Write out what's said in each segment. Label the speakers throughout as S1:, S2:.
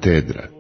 S1: katedra.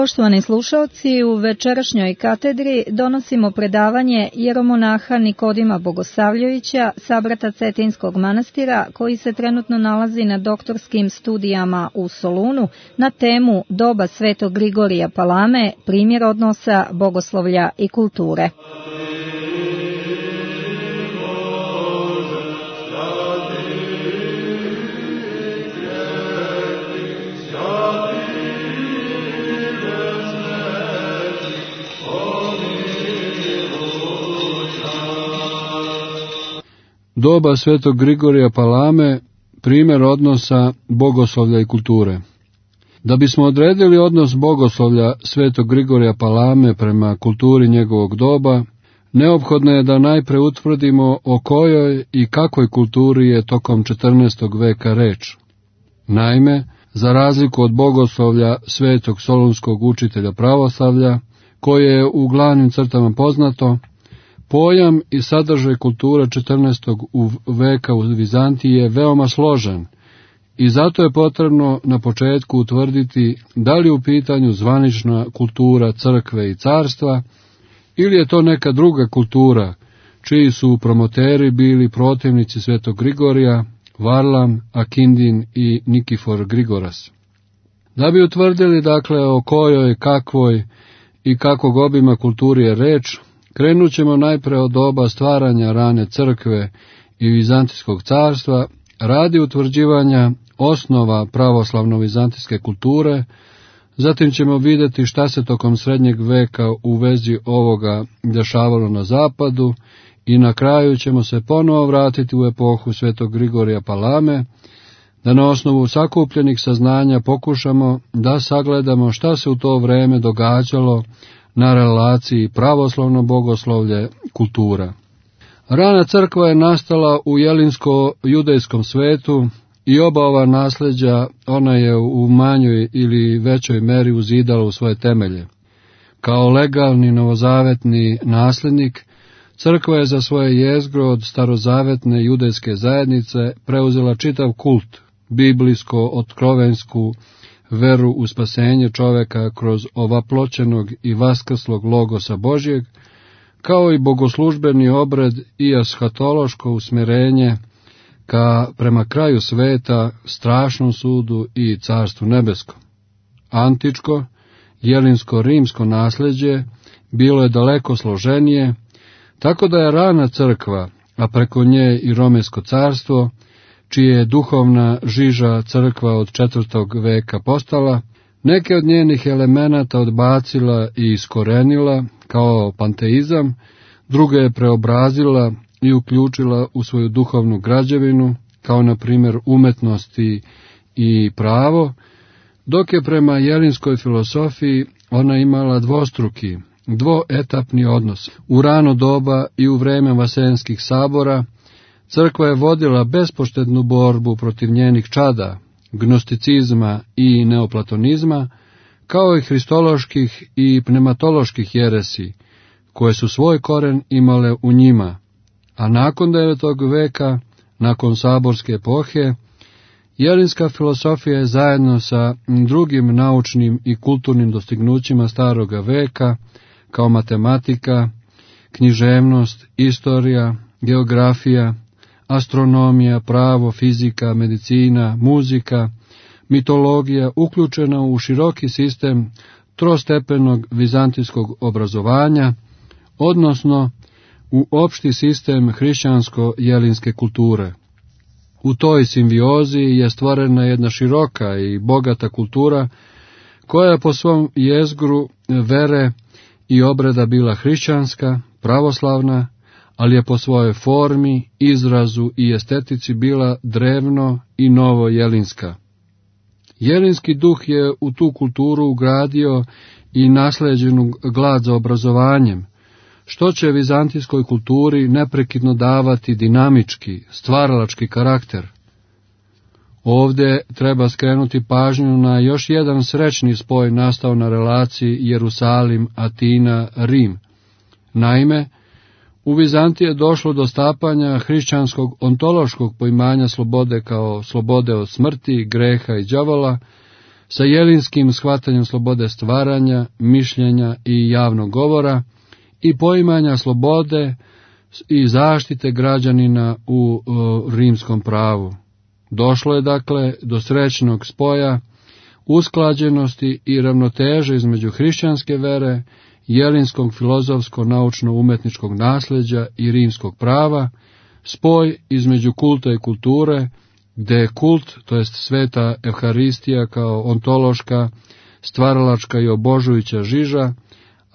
S2: Poštovani slušalci, u večerašnjoj katedri donosimo predavanje jeromonaha Nikodima Bogosavljevića, sabrata Cetinskog manastira, koji se trenutno nalazi na doktorskim studijama u Solunu na temu Doba Svetog Grigorija Palame, primjer odnosa bogoslovlja i kulture.
S3: Doba Svetog Grigorija Palame, primjer odnosa bogoslovlja i kulture. Da bismo odredili odnos bogoslovlja Svetog Grigorija Palame prema kulturi njegovog doba, neophodno je da najpre utvrdimo o kojoj i kakvoj kulturi je tokom 14. veka reč. Naime, za razliku od bogoslovlja Svetog Solunskog učitelja pravoslavlja, koje je u glavnim crtama poznato, pojam i sadržaj kulture 14. veka u Vizantiji je veoma složen i zato je potrebno na početku utvrditi da li je u pitanju zvanična kultura crkve i carstva ili je to neka druga kultura čiji su promoteri bili protivnici Svetog Grigorija, Varlam, Akindin i Nikifor Grigoras. Da bi utvrdili dakle o kojoj, kakvoj i kakvog obima kulturi je reč, krenut ćemo najpre od doba stvaranja rane crkve i Vizantijskog carstva radi utvrđivanja osnova pravoslavno-vizantijske kulture, zatim ćemo vidjeti šta se tokom srednjeg veka u vezi ovoga dešavalo na zapadu i na kraju ćemo se ponovo vratiti u epohu Svetog Grigorija Palame, da na osnovu sakupljenih saznanja pokušamo da sagledamo šta se u to vreme događalo na relaciji pravoslavno bogoslovlje kultura. Rana crkva je nastala u jelinsko-judejskom svetu i oba ova nasljeđa ona je u manjoj ili većoj meri uzidala u svoje temelje. Kao legalni novozavetni nasljednik, crkva je za svoje jezgro od starozavetne judejske zajednice preuzela čitav kult, biblijsko-otkrovensku veru u spasenje čoveka kroz ovaploćenog i vaskrslog logosa Božjeg, kao i bogoslužbeni obred i ashatološko usmjerenje prema kraju sveta, strašnom sudu i carstvu nebeskom. Antičko, jelinsko-rimsko nasljeđe bilo je daleko složenije, tako da je rana crkva, a preko nje i Romejsko carstvo, čije je duhovna žiža crkva od 4. veka postala, neke od njenih elemenata odbacila i iskorenila kao panteizam, druge je preobrazila i uključila u svoju duhovnu građevinu, kao na primjer umetnosti i pravo, dok je prema jelinskoj filosofiji ona imala dvostruki, dvoetapni odnos. U rano doba i u vreme vasenskih sabora crkva je vodila bespoštednu borbu protiv njenih čada, gnosticizma i neoplatonizma, kao i hristoloških i pneumatoloških jeresi, koje su svoj koren imale u njima, a nakon 9. veka, nakon saborske epohe, jelinska filosofija je zajedno sa drugim naučnim i kulturnim dostignućima staroga veka, kao matematika, književnost, istorija, geografija, astronomija, pravo, fizika, medicina, muzika, mitologija, uključena u široki sistem trostepenog vizantijskog obrazovanja, odnosno u opšti sistem hrišćansko-jelinske kulture. U toj simbiozi je stvorena jedna široka i bogata kultura, koja je po svom jezgru vere i obreda bila hrišćanska, pravoslavna, ali je po svojoj formi, izrazu i estetici bila drevno i novo jelinska. Jelinski duh je u tu kulturu ugradio i nasleđenu glad za obrazovanjem, što će vizantijskoj kulturi neprekidno davati dinamički, stvaralački karakter. Ovdje treba skrenuti pažnju na još jedan srećni spoj nastao na relaciji Jerusalim, Atina, Rim. Naime, u Vizantiji je došlo do stapanja hrišćanskog ontološkog poimanja slobode kao slobode od smrti, greha i đavola, sa jelinskim shvatanjem slobode stvaranja, mišljenja i javnog govora i poimanja slobode i zaštite građanina u rimskom pravu. Došlo je dakle do srećnog spoja, usklađenosti i ravnoteže između hrišćanske vere, jelinskog filozofsko-naučno-umetničkog nasljeđa i rimskog prava, spoj između kulta i kulture, gdje je kult, to jest sveta Evharistija kao ontološka, stvaralačka i obožujuća žiža,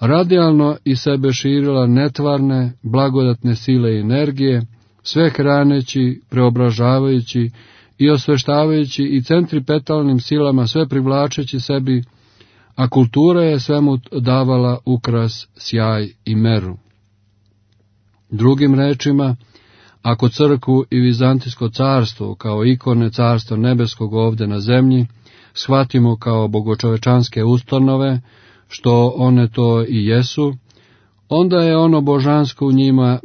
S3: radijalno iz sebe širila netvarne, blagodatne sile i energije, sve hraneći, preobražavajući i osveštavajući i centripetalnim silama sve privlačeći sebi, a kultura je svemu davala ukras, sjaj i meru. Drugim rečima, ako crkvu i Vizantijsko carstvo kao ikone carstva nebeskog ovdje na zemlji shvatimo kao bogočovečanske ustanove, što one to i jesu, onda je ono božansko u njima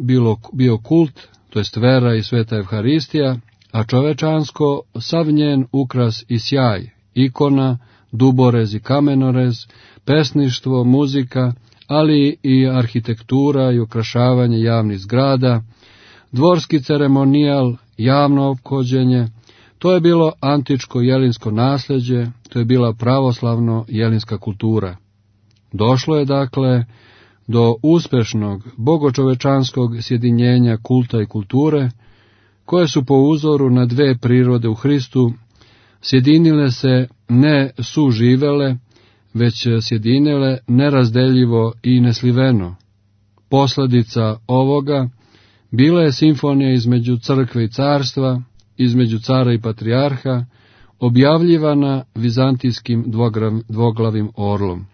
S3: bio kult, to jest vera i sveta Evharistija, a čovečansko sav njen ukras i sjaj, ikona, duborez i kamenorez, pesništvo, muzika, ali i arhitektura i ukrašavanje javnih zgrada, dvorski ceremonijal, javno ophođenje, to je bilo antičko jelinsko nasljeđe, to je bila pravoslavno jelinska kultura. Došlo je dakle do uspešnog bogočovečanskog sjedinjenja kulta i kulture, koje su po uzoru na dve prirode u Hristu sjedinile se ne suživele, već sjedinile nerazdeljivo i nesliveno. Posljedica ovoga bila je simfonija između crkve i carstva, između cara i patrijarha, objavljivana vizantijskim dvoglavim orlom.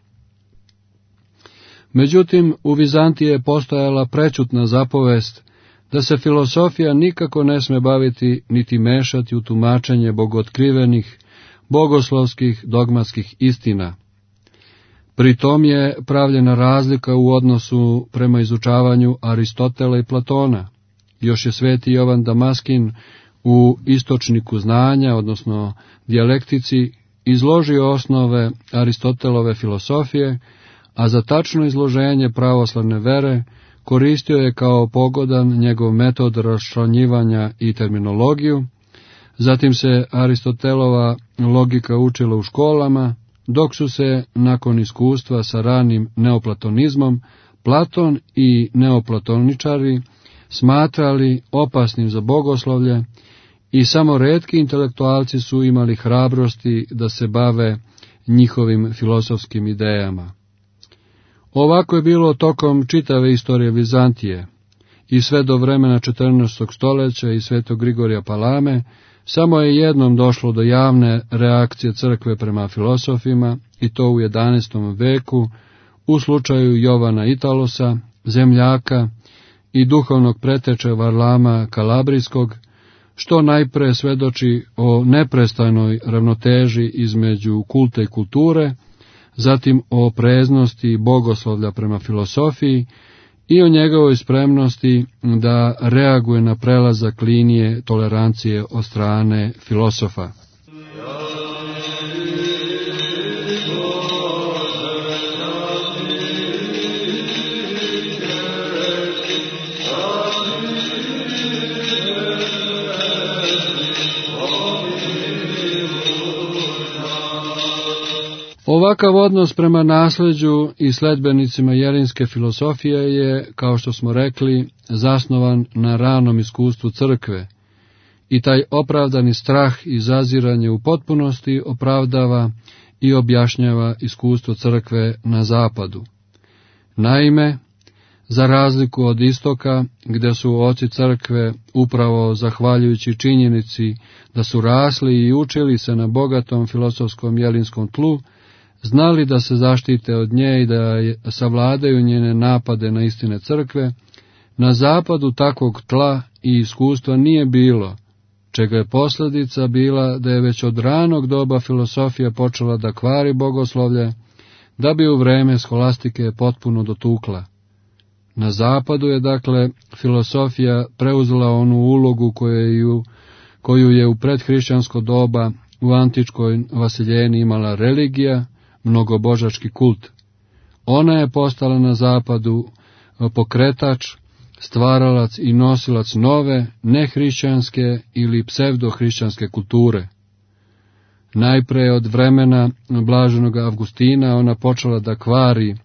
S3: Međutim, u Vizantiji je postojala prečutna zapovest da se filosofija nikako ne sme baviti niti mešati u tumačenje bogootkrivenih, bogoslovskih, dogmatskih istina. Pri tom je pravljena razlika u odnosu prema izučavanju Aristotela i Platona. Još je sveti Jovan Damaskin u Istočniku znanja, odnosno dijalektici, izložio osnove Aristotelove filosofije, a za tačno izloženje pravoslavne vere koristio je kao pogodan njegov metod raščlanjivanja i terminologiju. Zatim se Aristotelova logika učila u školama, dok su se, nakon iskustva sa ranim neoplatonizmom, Platon i neoplatoničari smatrali opasnim za bogoslovlje i samo retki intelektualci su imali hrabrosti da se bave njihovim filozofskim idejama. Ovako je bilo tokom čitave istorije Vizantije i sve do vremena 14. stoljeća i svetog Grigorija Palame. Samo je jednom došlo do javne reakcije crkve prema filosofima, i to u 11. veku, u slučaju Jovana Italosa, zemljaka i duhovnog preteče Varlama Kalabrijskog, što najpre svedoči o neprestajnoj ravnoteži između kulta i kulture, zatim o opreznosti bogoslovlja prema filosofiji i o njegovoj spremnosti da reaguje na prelazak linije tolerancije od strane filosofa. Ovakav odnos prema nasljeđu i sledbenicima jelinske filosofije je, kao što smo rekli, zasnovan na ranom iskustvu crkve, i taj opravdani strah i zaziranje u potpunosti opravdava i objašnjava iskustvo crkve na zapadu. Naime, za razliku od istoka, gdje su oci crkve, upravo zahvaljujući činjenici da su rasli i učili se na bogatom filozofskom jelinskom tlu, znali da se zaštite od nje i da savladaju njene napade na istine crkve, na zapadu takvog tla i iskustva nije bilo, čega je posljedica bila da je već od ranog doba filosofija počela da kvari bogoslovlje, da bi u vreme skolastike potpuno dotukla. Na zapadu je, dakle, filosofija preuzela onu ulogu koju je u predhrišćansko doba u antičkoj Vasiljeni imala religija, mnogobožački kult. Ona je postala na zapadu pokretač, stvaralac i nosilac nove, nehrišćanske ili psevdohrišćanske kulture. Najpre od vremena blaženog Avgustina ona počela da kvari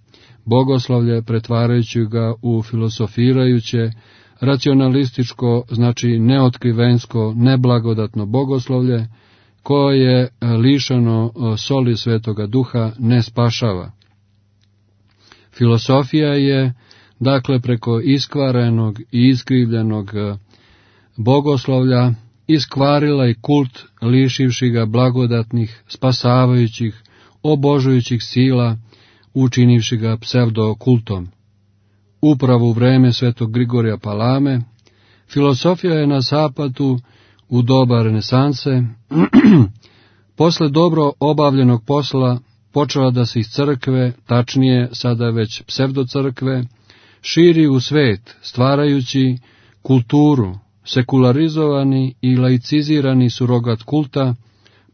S3: bogoslovlje, pretvarajući ga u filosofirajuće, racionalističko, znači neotkrivensko, neblagodatno bogoslovlje, koje lišeno soli Svetoga Duha ne spašava. Filosofija je, dakle, preko iskvarenog i iskrivljenog bogoslovlja iskvarila i kult, lišivši ga blagodatnih, spasavajućih, obožujućih sila, učinivši ga psevdokultom. Upravo u vreme Svetog Grigorija Palame, filosofija je na zapadu u doba renesanse, posle dobro obavljenog posla, počela da se iz crkve, tačnije sada već psevdocrkve, širi u svet, stvarajući kulturu, sekularizovani i laicizirani surogat kulta,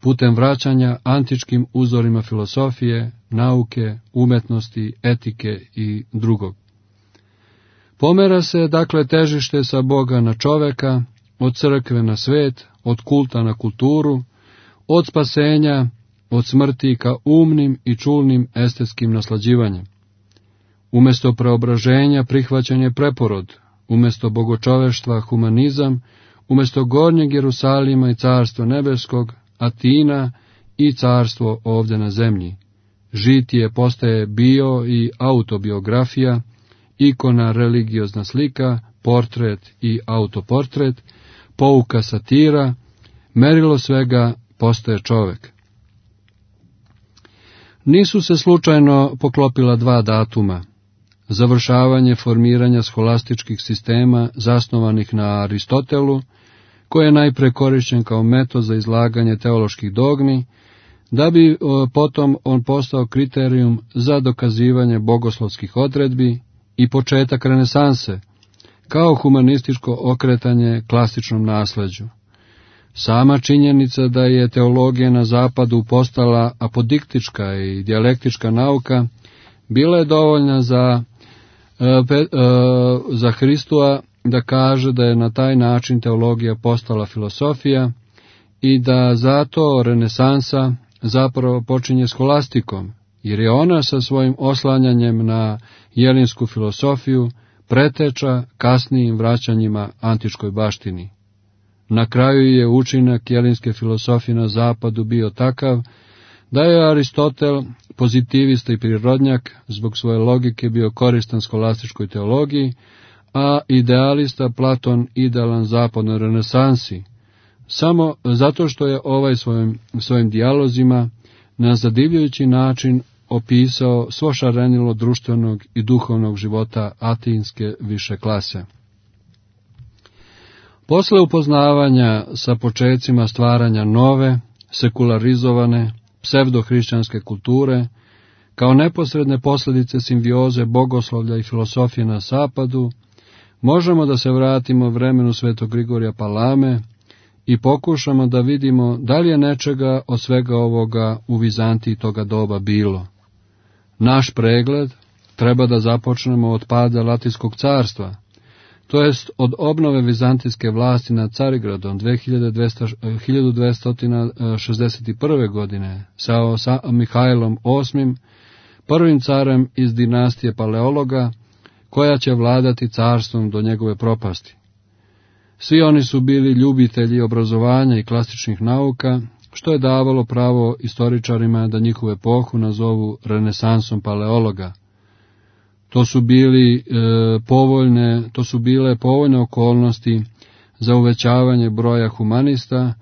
S3: putem vraćanja antičkim uzorima filosofije, nauke, umetnosti, etike i drugog. Pomera se, dakle, težište sa Boga na čoveka, od crkve na svet, od kulta na kulturu, od spasenja, od smrti ka umnim i čulnim estetskim naslađivanjem. Umesto preobraženja prihvaćanje preporod, umesto bogočoveštva humanizam, umesto gornjeg Jerusalima i carstva nebeskog, Atina i carstvo ovdje na zemlji. Žitije postaje bio i autobiografija, ikona religiozna slika, portret i autoportret, pouka satira, merilo svega postaje čovek. Nisu se slučajno poklopila dva datuma. Završavanje formiranja scholastičkih sistema zasnovanih na Aristotelu, koji je najpre korišćen kao metod za izlaganje teoloških dogmi, da bi potom on postao kriterijum za dokazivanje bogoslovskih odredbi i početak renesanse, kao humanističko okretanje klasičnom nasleđu. Sama činjenica da je teologija na zapadu postala apodiktička i dijalektička nauka, bila je dovoljna za Hristova da kaže da je na taj način teologija postala filosofija i da zato renesansa zapravo počinje skolastikom, jer je ona sa svojim oslanjanjem na jelinsku filosofiju preteča kasnijim vraćanjima antičkoj baštini. Na kraju je učinak jelinske filosofije na zapadu bio takav da je Aristotel, pozitivista i prirodnjak, zbog svoje logike bio koristan skolastičkoj teologiji, a idealista Platon idealan zapadnoj renesansi, samo zato što je ovaj svojim dijalozima na zadivljujući način opisao svo šarenilo društvenog i duhovnog života atinske više klase. Posle upoznavanja sa počecima stvaranja nove, sekularizovane, psevdohrišćanske kulture, kao neposredne posljedice simbioze bogoslovlja i filosofije na zapadu, možemo da se vratimo vremenu Svetog Grigorija Palame i pokušamo da vidimo da li je nečega od svega ovoga u Vizantiji toga doba bilo. Naš pregled treba da započnemo od pada Latinskog carstva, to jest od obnove vizantijske vlasti nad Carigradom 1261. godine sa Mihajlom VIII, prvim carem iz dinastije Paleologa, koja će vladati carstvom do njegove propasti. Svi oni su bili ljubitelji obrazovanja i klasičnih nauka, što je davalo pravo istoričarima da njihovu epohu nazovu renesansom Paleologa. To su bile povoljne okolnosti za uvećavanje broja humanista,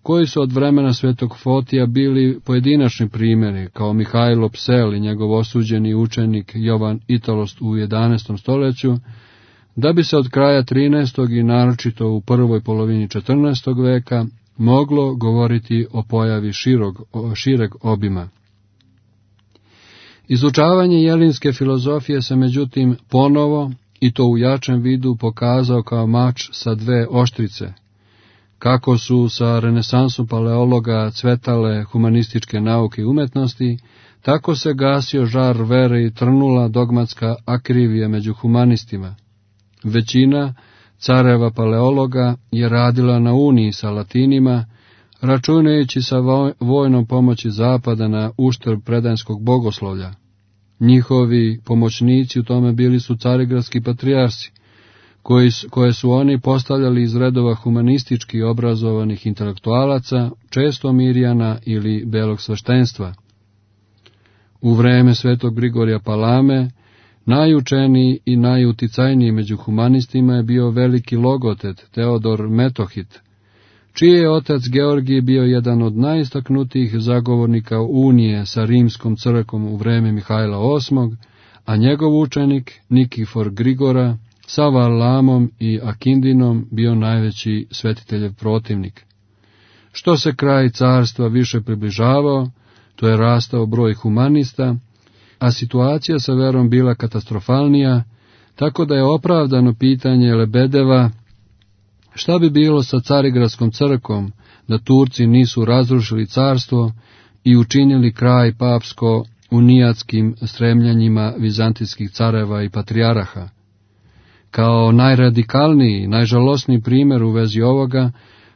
S3: koji su od vremena Svetog Fotija bili pojedinačni primjeri, kao Mihajlo Psel i njegov osuđeni učenik Jovan Italost u 11. stoljeću, da bi se od kraja 13. i naročito u prvoj polovini 14. veka moglo govoriti o pojavi šireg obima. Izučavanje jelinske filozofije se međutim ponovo, i to u jačem vidu, pokazao kao mač sa dve oštrice. Kako su sa renesansom paleologa cvetale humanističke nauke i umetnosti, tako se gasio žar vere i trnula dogmatska akrivija među humanistima. Većina careva paleologa je radila na uniji sa latinima, računajući sa vojnom pomoći zapada na uštrb predanskog bogoslovlja. Njihovi pomoćnici u tome bili su carigradski patrijarsi, koje su oni postavljali iz redova humanistički obrazovanih intelektualaca, često Mirjana ili belog sveštenstva. U vreme svetog Grigorija Palame, najučeniji i najuticajniji među humanistima je bio veliki logotet Teodor Metohit, čiji je otac Georgij bio jedan od najistaknutijih zagovornika unije sa rimskom crkvom u vreme Mihajla VIII, a njegov učenik Nikifor Grigora sa Varlamom i Akindinom bio najveći svetiteljev protivnik. Što se kraj carstva više približavao, to je rastao broj humanista, a situacija sa verom bila katastrofalnija, tako da je opravdano pitanje Lebedeva šta bi bilo sa Carigradskom crkvom da Turci nisu razrušili carstvo i učinili kraj papsko-unijatskim stremljanjima vizantijskih careva i patrijaraha. Kao najradikalniji, najžalosniji primjer u vezi ovoga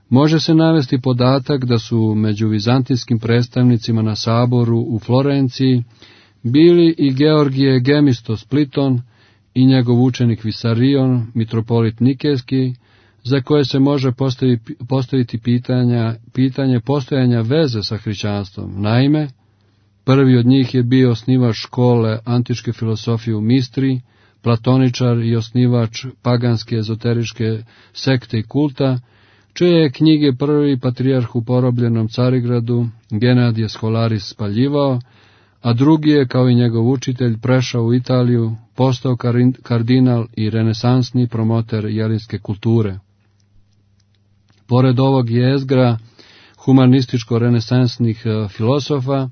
S3: može se navesti podatak da su među vizantijskim predstavnicima na saboru u Florenciji bili i Georgije Gemistos Pliton i njegov učenik Visarion, mitropolit Nikejski, za koje se može postaviti pitanje postojanja veze sa hrišćanstvom. Naime, prvi od njih je bio osnivač škole antičke filosofije u Mistri, platoničar i osnivač paganske ezoteričke sekte i kulta, čije je knjige prvi patrijarh u porobljenom Carigradu, Genadije Scholaris, spaljivao, a drugi je, kao i njegov učitelj, prešao u Italiju, postao kardinal i renesansni promoter jelinske kulture. Pored ovog jezgra humanističko-renesansnih filosofa,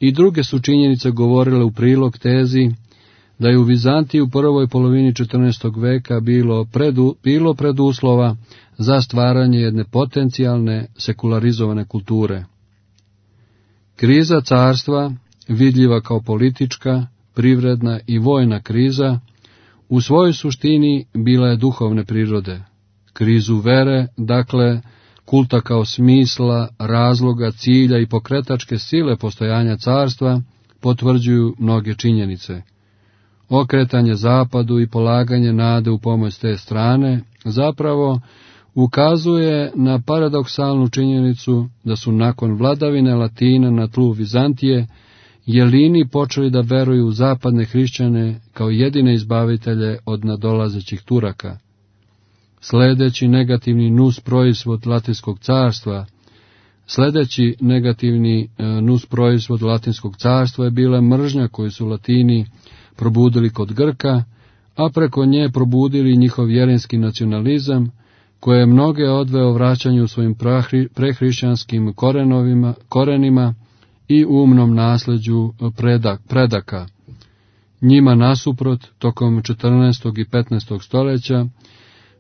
S3: i druge su činjenice govorile u prilog tezi da je u Vizantiji u prvoj polovini 14. veka bilo preduslova za stvaranje jedne potencijalne sekularizovane kulture. Kriza carstva, vidljiva kao politička, privredna i vojna kriza, u svojoj suštini bila je duhovne prirode. Krizu vere, dakle, kulta kao smisla, razloga, cilja i pokretačke sile postojanja carstva, potvrđuju mnoge činjenice. Okretanje zapadu i polaganje nade u pomoć te strane zapravo ukazuje na paradoksalnu činjenicu da su nakon vladavine Latina na tlu Vizantije Jelini počeli da veruju u zapadne hrišćane kao jedine izbavitelje od nadolazećih Turaka. Sljedeći negativni nus proizvod Latinskog carstva je bila mržnja koju su Latini probudili kod Grka, a preko nje probudili njihov jelinski nacionalizam, koje je mnoge odveo vraćanju svojim prehrišćanskim korenima i umnom nasljeđu predaka. Njima nasuprot, tokom 14. i 15. stoljeća,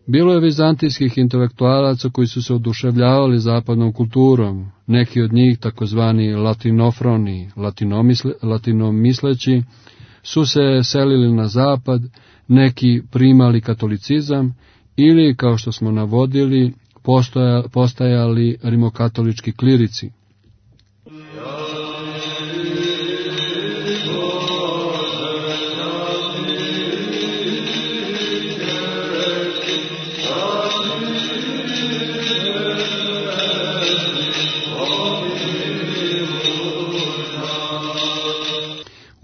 S3: bilo je vizantijskih intelektualaca koji su se oduševljavali zapadnom kulturom, neki od njih, takozvani latinofroni, latinomisleći, su se selili na zapad, neki primali katolicizam ili, kao što smo navodili, postajali rimokatolički klirici.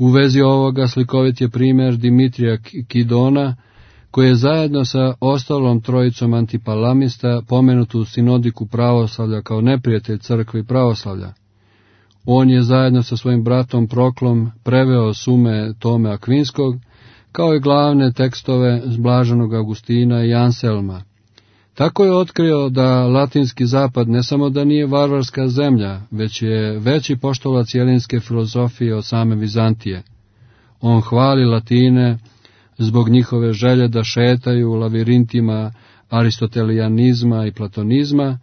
S3: U vezi ovoga slikovit je primjer Dimitrija Kidona, koji je zajedno sa ostalom trojicom antipalamista pomenut u sinodiku pravoslavlja kao neprijatelj crkve i pravoslavlja. On je zajedno sa svojim bratom Proklom preveo sume Tome Akvinskog, kao i glavne tekstove Blaženog Augustina i Anselma. Tako je otkrio da latinski zapad ne samo da nije varvarska zemlja, već je veći poštolac jelinske filozofije od same Vizantije. On hvali Latine zbog njihove želje da šetaju u lavirintima aristotelijanizma i platonizma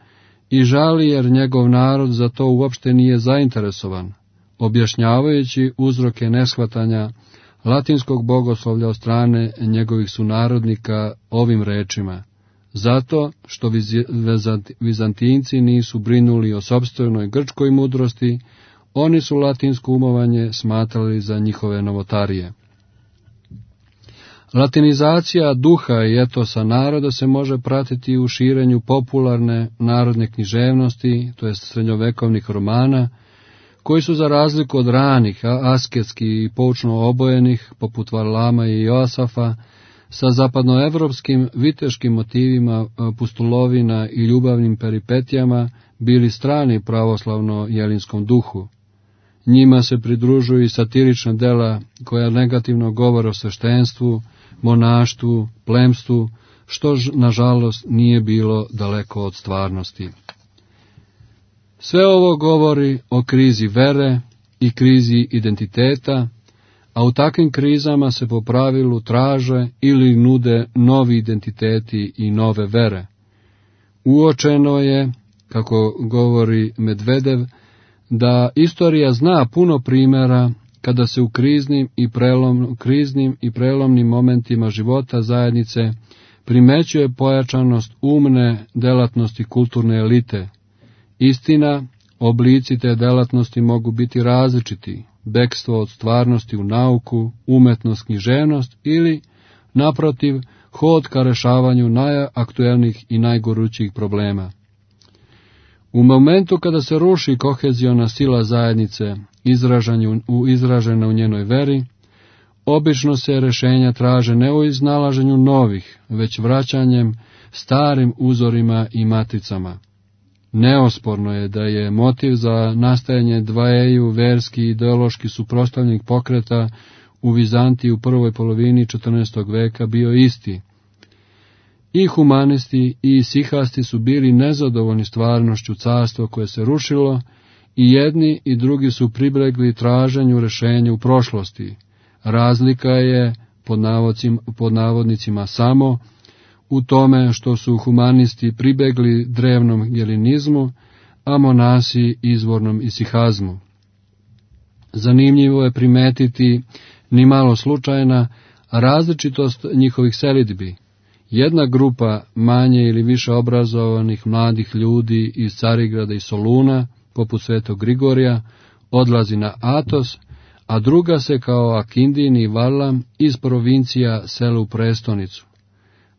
S3: i žali jer njegov narod za to uopšte nije zainteresovan, objašnjavajući uzroke neshvatanja latinskog bogoslovlja od strane njegovih sunarodnika ovim rečima: zato što Vizantinci nisu brinuli o sopstvenoj grčkoj mudrosti, oni su latinsko umovanje smatrali za njihove novotarije. Latinizacija duha i etosa naroda se može pratiti u širenju popularne narodne književnosti, to jest srednjovekovnih romana, koji su za razliku od ranih, asketski i poučno obojenih, poput Varlama i Joasafa, sa zapadnoevropskim viteškim motivima pustolovina i ljubavnim peripetijama bili strani pravoslavno-jelinskom duhu. Njima se pridružuju i satirična dela koja negativno govore o sveštenstvu, monaštvu, plemstvu, što nažalost nije bilo daleko od stvarnosti. Sve ovo govori o krizi vere i krizi identiteta, a u takvim krizama se po pravilu traže ili nude novi identiteti i nove vere. Uočeno je, kako govori Medvedev, da istorija zna puno primjera kada se u kriznim i prelomnim momentima života zajednice primećuje pojačanost umne delatnosti kulturne elite. Istina, oblici te delatnosti mogu biti različiti: bekstvo od stvarnosti u nauku, umetnost, književnost ili, naprotiv, hod ka rešavanju najaktuelnijih i najgorućijih problema. U momentu kada se ruši koheziona sila zajednice, izražena u njenoj veri, obično se rešenja traže ne u iznalaženju novih, već vraćanjem starim uzorima i matricama. Neosporno je da je motiv za nastajanje dvajeju verski i ideološki suprotstavljenih pokreta u Vizantiji u prvoj polovini 14. veka bio isti. I humanisti i sihasti su bili nezadovoljni stvarnošću carstva koje se rušilo, i jedni i drugi su pribegli traženju rešenja u prošlosti. Razlika je, pod navodnicima, samo u tome što su humanisti pribegli drevnom jelinizmu, a monasi izvornom isihazmu. Zanimljivo je primetiti, ni malo slučajna, različitost njihovih selidbi. Jedna grupa manje ili više obrazovanih mladih ljudi iz Carigrada i Soluna, poput Svetog Grigorija, odlazi na Atos, a druga se kao Akindin i Varlam iz provincija sele u prestonicu.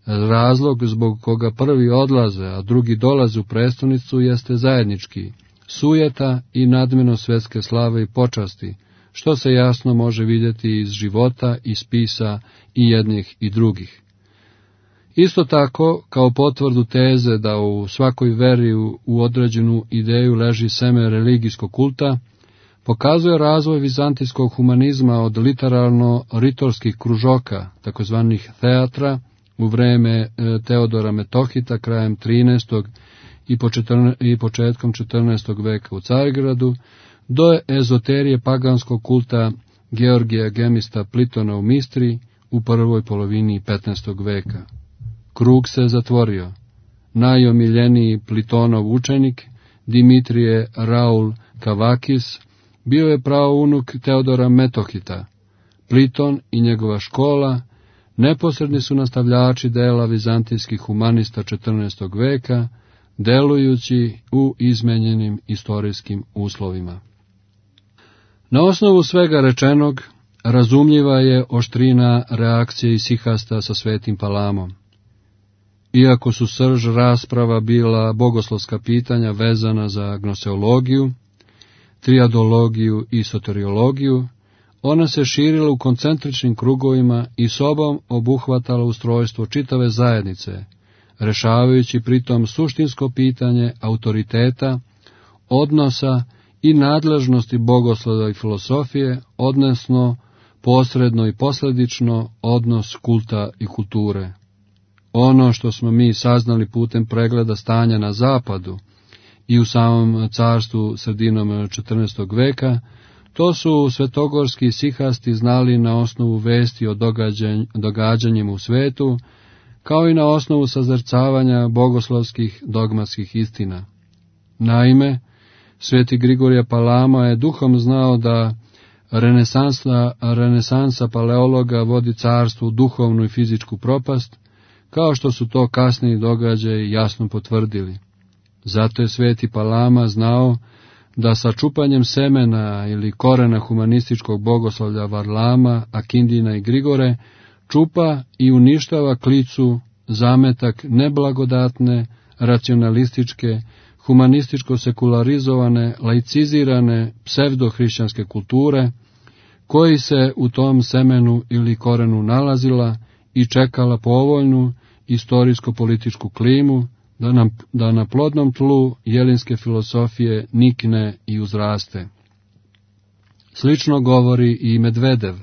S3: Razlog zbog koga prvi odlaze, a drugi dolaze u prestonicu jeste zajednički: sujeta i nadmeno svetske slave i počasti, što se jasno može vidjeti iz života i spisa i jednih i drugih. Isto tako, kao potvrdu teze da u svakoj veri u određenu ideju leži seme religijskog kulta, pokazuje razvoj vizantijskog humanizma od literarno-ritorskih kružoka, takozvanih teatra, u vreme Teodora Metohita krajem 13. i početkom 14. veka u Carigradu, do ezoterije paganskog kulta Georgija Gemista Plitona u Mistri u prvoj polovini 15. veka. Krug se zatvorio. Najomiljeniji Plitonov učenik, Dimitrije Raul Kavakis, bio je praunuk Teodora Metohita. Pliton i njegova škola neposredni su nastavljači dela vizantijskih humanista 14. veka, delujući u izmenjenim istorijskim uslovima. Na osnovu svega rečenog, razumljiva je oštrina reakcije isihasta sa Svetim Palamom. Iako su srž rasprava bila bogoslovska pitanja vezana za gnoseologiju, triadologiju i soteriologiju, ona se širila u koncentričnim krugovima i sobom obuhvatala ustrojstvo čitave zajednice, rešavajući pritom suštinsko pitanje autoriteta, odnosa i nadležnosti bogoslova i filosofije, odnosno posredno i posledično odnos kulta i kulture. Ono što smo mi saznali putem pregleda stanja na zapadu i u samom carstvu sredinom 14. veka, to su svetogorski sihasti znali na osnovu vesti o događanjima u svetu, kao i na osnovu sazrcavanja bogoslovskih dogmatskih istina. Sveti Grigorije Palama je duhom znao da renesansa paleologa vodi carstvu duhovnu i fizičku propast, kao što su to kasniji događaji jasno potvrdili. Zato je sveti Palama znao da sa čupanjem semena ili korena humanističkog bogoslovlja Varlama, Akindina i Grigore čupa i uništava klicu, zametak neblagodatne, racionalističke, humanističko-sekularizovane, laicizirane, psevdohrišćanske kulture, koji se u tom semenu ili korenu nalazila i čekala povoljnu istorijsko-političku klimu, da na plodnom tlu jelinske filosofije nikne i uzraste. Slično govori i Medvedev.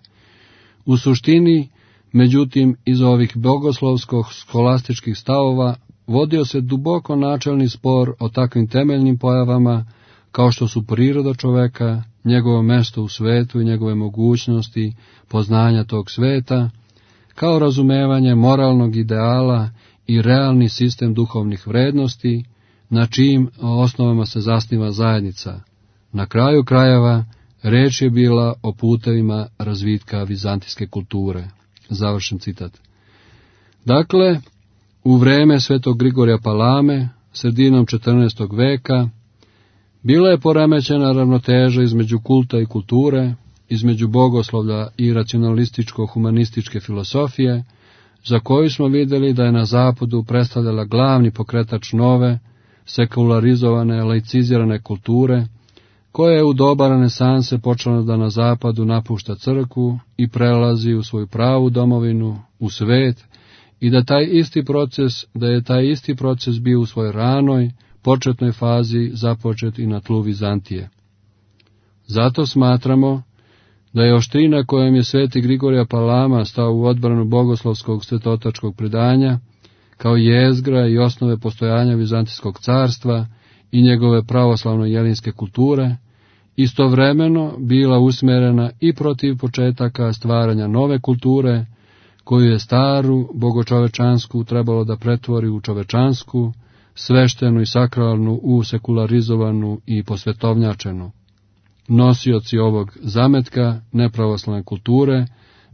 S3: U suštini, međutim, iz ovih bogoslovsko-skolastičkih stavova vodio se duboko načelni spor o takvim temeljnim pojavama, kao što su priroda čoveka, njegovo mesto u svetu i njegove mogućnosti poznanja tog sveta, kao razumevanje moralnog ideala i realni sistem duhovnih vrednosti, na čijim osnovama se zasniva zajednica. Na kraju krajeva, reč je bila o putevima razvitka vizantijske kulture. Završen citat. Dakle, u vreme svetog Grigorija Palame, sredinom 14. veka, bila je poremećena ravnoteža između kulta i kulture, između bogoslovlja i racionalističko-humanističke filosofije, za koju smo vidjeli da je na zapadu predstavljala glavni pokretač nove, sekularizovane, laicizirane kulture, koja je u doba renesanse počela da na zapadu napušta crkvu i prelazi u svoju pravu domovinu, u svet, i da je taj isti proces bio u svojoj ranoj, početnoj fazi započet i na tlu Vizantije. Zato smatramo da je oštrina kojom je sveti Grigorije Palama stao u odbranu bogoslovskog svetotačkog predanja, kao jezgra i osnove postojanja Vizantijskog carstva i njegove pravoslavno-jelinske kulture, istovremeno bila usmjerena i protiv početaka stvaranja nove kulture, koju je staru, bogočovečansku trebalo da pretvori u čovečansku, sveštenu i sakralnu u sekularizovanu i posvetovnjačenu. Nosioci ovog zametka nepravoslavne kulture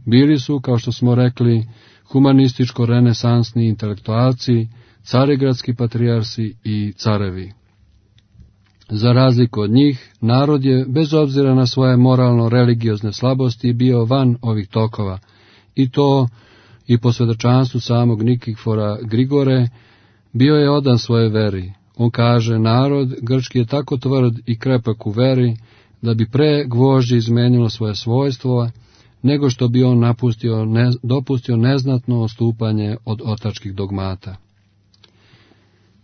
S3: bili su, kao što smo rekli, humanističko-renesansni intelektualci, carigradski patrijarsi i carevi. Za razliku od njih, narod je, bez obzira na svoje moralno-religiozne slabosti, bio van ovih tokova, i to i po svedočanstvu samog Nikifora Grigore, bio je odan svoje veri. On kaže, narod grčki je tako tvrd i krepak u veri, da bi pre gvožđe izmenilo svoje svojstvo, nego što bi on dopustio neznatno odstupanje od otačkih dogmata.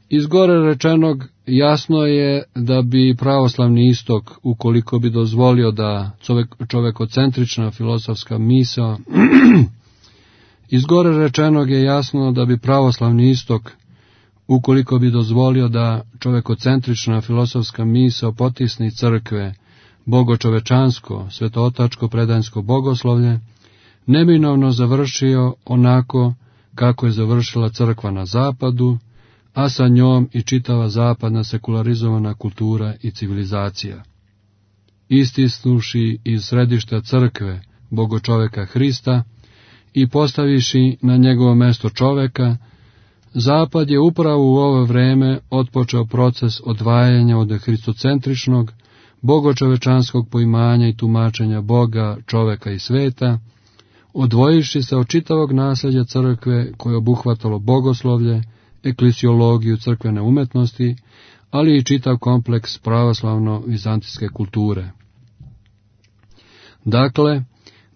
S3: Iz gore rečenog jasno je da bi pravoslavni istok, ukoliko bi dozvolio da čovekocentrična filozofska misao iz gore rečenog je jasno da bi pravoslavni istok, ukoliko bi dozvolio da čovekocentrična filozofska misao potisni crkve, bogočovečansko, svetootačko predanjsko bogoslovlje, neminovno završio onako kako je završila crkva na zapadu, a sa njom i čitava zapadna sekularizovana kultura i civilizacija. Istisnuši iz središta crkve bogočoveka Hrista i postaviši na njegovo mesto čoveka, zapad je upravo u ovo vreme otpočeo proces odvajanja od hristocentričnog, bogočovečanskog poimanja i tumačenja Boga, čoveka i sveta, odvojivši se od čitavog nasljeđa crkve koje je obuhvatalo bogoslovlje, eklesiologiju crkvene umetnosti, ali i čitav kompleks pravoslavno-vizantijske kulture. Dakle,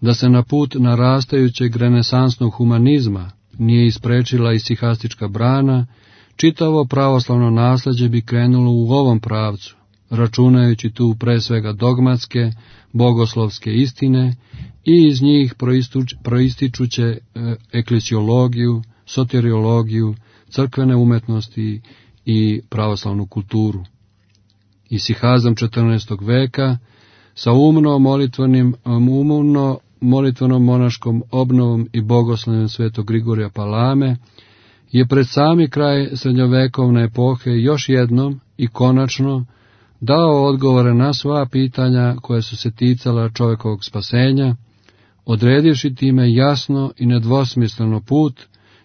S3: da se na put narastajućeg renesansnog humanizma nije isprečila isihastička brana, čitavo pravoslavno nasleđe bi krenulo u ovom pravcu, računajući tu pre svega dogmatske, bogoslovske istine i iz njih proističuće eklesiologiju, soteriologiju, crkvene umetnosti i pravoslavnu kulturu. Isihazam 14. veka sa umno molitvenom monaškom obnovom i bogoslovljem svetog Grigorija Palame je pred sami kraj srednjovekovne epohe još jednom i konačno dao odgovore na sva pitanja koja su se ticala čovekovog spasenja, odredivši time jasno i nedvosmisleno put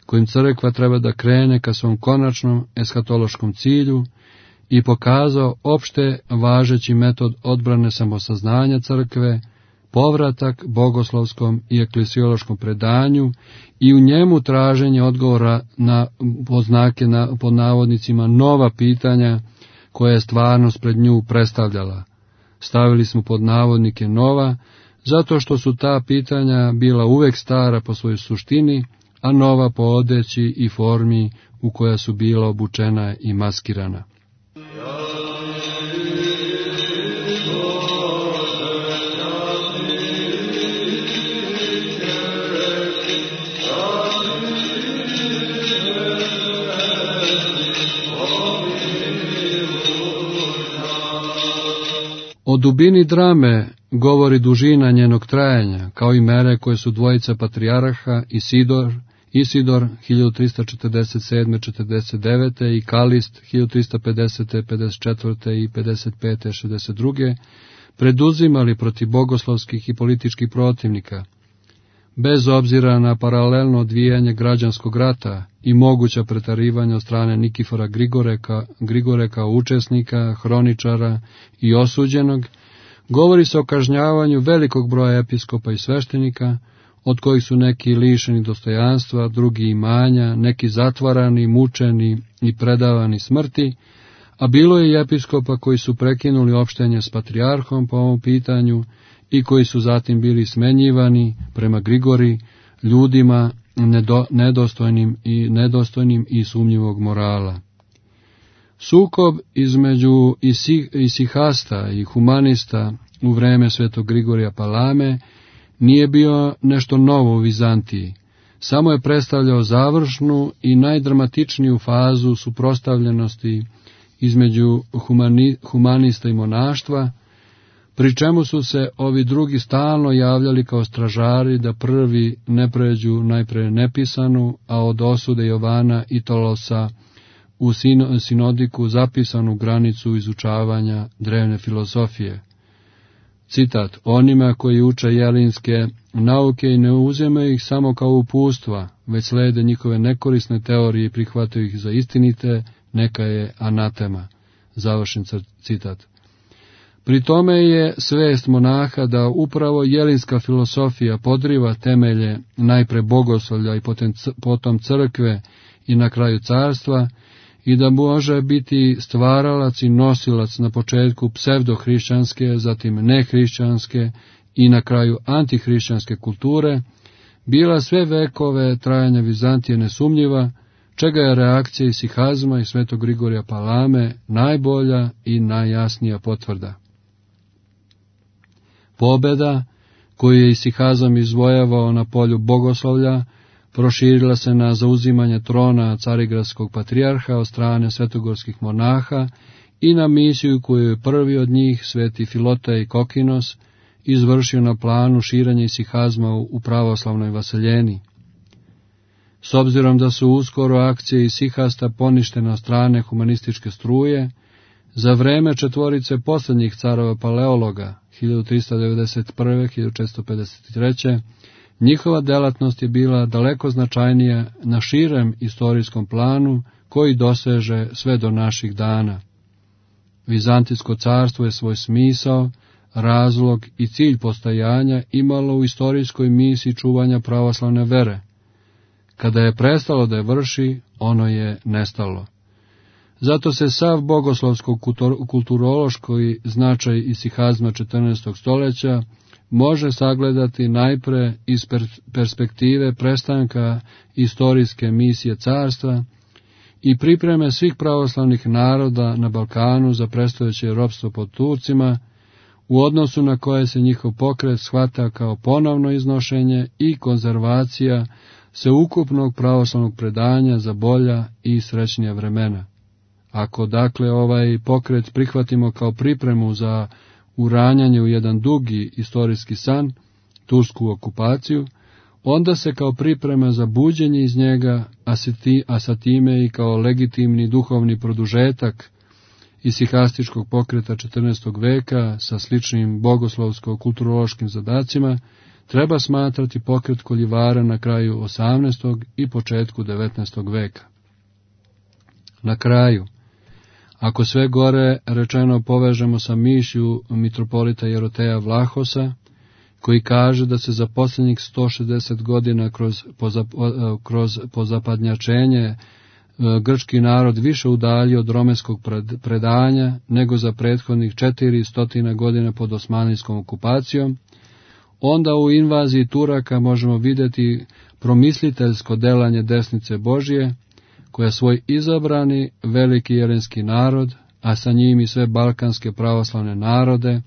S3: kojim crkva treba da krene ka svom konačnom eshatološkom cilju i pokazao opšte važeći metod odbrane samosaznanja crkve, povratak bogoslovskom i eklesiološkom predanju i u njemu traženje odgovora na pod navodnicima nova pitanja koje je stvarnost pred nju predstavljala. Stavili smo pod navodnike nova, zato što su ta pitanja bila uvek stara po svojoj suštini, a nova po odeći i formi u koja su bila obučena i maskirana. O dubini drame govori dužina njenog trajanja, kao i mere koje su dvojica patrijarha Isidor 1347-49 i Kalist 1350-54 i 55-62 preduzimali protiv bogoslovskih i političkih protivnika, bez obzira na paralelno odvijanje građanskog rata i moguća pretarivanja od strane Nikifora Grigore kao učesnika, hroničara i osuđenog, govori se o kažnjavanju velikog broja episkopa i sveštenika, od kojih su neki lišeni dostojanstva, drugi imanja, neki zatvarani, mučeni i predavani smrti, a bilo je i episkopa koji su prekinuli opštenje s patrijarhom po ovom pitanju i koji su zatim bili smenjivani prema Grigori, ljudima nedostojnim i sumnjivog morala. Sukob između isihasta i humanista u vreme svetog Grigorija Palame nije bio nešto novo u Vizantiji, samo je predstavljao završnu i najdramatičniju fazu suprotstavljenosti između humanista i monaštva, pri čemu su se ovi drugi stalno javljali kao stražari da prvi ne pređu najpre nepisanu, a od osude Jovana i Tolosa u sinodiku zapisanu granicu izučavanja drevne filozofije. Citat: onima koji uče jelinske nauke i ne uzimaju ih samo kao upustva, već slede njihove nekorisne teorije i prihvataju ih za istinite, neka je anatema. Završen citat. Pri tome je svest monaha da upravo jelinska filosofija podriva temelje najpre bogoslovlja i potom crkve i na kraju carstva, i da može biti stvaralac i nosilac na početku psevdohrišćanske, zatim nehrišćanske i na kraju antihrišćanske kulture, bila sve vekove trajanja Vizantije nesumnjiva, čega je reakcija isihazma i svetog Grigorija Palame najbolja i najjasnija potvrda. Pobeda, koju je isihazam izvojavao na polju bogoslovlja, proširila se na zauzimanje trona carigradskog patrijarha od strane svetogorskih monaha i na misiju koju je prvi od njih, sveti Filotej Kokinos, izvršio na planu širenja isihazma u pravoslavnoj vaseljeni. S obzirom da su uskoro akcije isihasta poništene od strane humanističke struje, za vreme četvorice posljednjih carova paleologa, 1391-1453, njihova delatnost je bila daleko značajnija na širem istorijskom planu koji doseže sve do naših dana. Vizantijsko carstvo je svoj smisao, razlog i cilj postojanja imalo u istorijskoj misiji čuvanja pravoslavne vere. Kada je prestalo da je vrši, ono je nestalo. Zato se sav bogoslovsko-kulturološki značaj isihazma 14. stoljeća može sagledati najpre iz perspektive prestanka istorijske misije carstva i pripreme svih pravoslavnih naroda na Balkanu za predstojeće ropstvo pod Turcima, u odnosu na koje se njihov pokret shvata kao ponovno iznošenje i konzervacija sveukupnog pravoslavnog predanja za bolja i srećnija vremena. Ako dakle ovaj pokret prihvatimo kao pripremu za uranjanje u jedan dugi istorijski san, tursku okupaciju, onda se kao priprema za buđenje iz njega, a sa time i kao legitimni duhovni produžetak isihastičkog pokreta 14. veka sa sličnim bogoslovsko-kulturološkim zadacima, treba smatrati pokret koljivara na kraju 18. i početku 19. veka. Na kraju, ako sve gore rečeno povežemo sa mišlju mitropolita Jeroteja Vlahosa, koji kaže da se za posljednjih 160 godina kroz pozapadnjačenje grčki narod više udaljio od romenskog predanja nego za prethodnih 400 godina pod osmanlijskom okupacijom, onda u invaziji Turaka možemo vidjeti promisliteljsko delanje desnice Božije, koja svoj izabrani veliki jelenski narod, a sa njim i sve balkanske pravoslavne narode,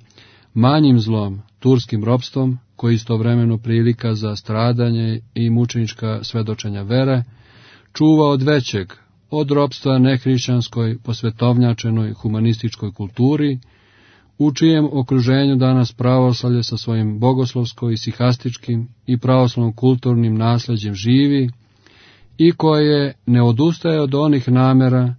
S3: manjim zlom, turskim ropstvom, koji istovremeno prilika za stradanje i mučenička svedočenja vere, čuva od većeg, od ropstva nehrišćanskoj, posvetovnjačenoj humanističkoj kulturi, u čijem okruženju danas pravoslavlje sa svojim bogoslovsko-isihastičkim i pravoslavno-kulturnim nasljeđem živi i koje ne odustaje od onih namera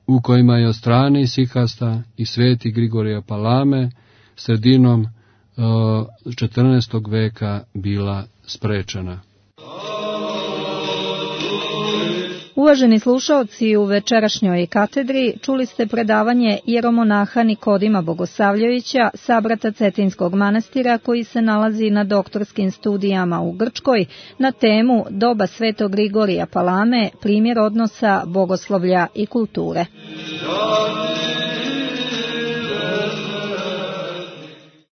S3: u kojima je od strane isihasta i sveti Grigorija Palame sredinom 14. veka bila sprečena.
S2: Uvaženi slušaoci, u večerašnjoj katedri čuli ste predavanje jeromonaha Nikodima Bogosavljevića, sabrata Cetinskog manastira, koji se nalazi na doktorskim studijama u Grčkoj, na temu Doba svetog Grigorija Palame, primjer odnosa bogoslovlja i kulture.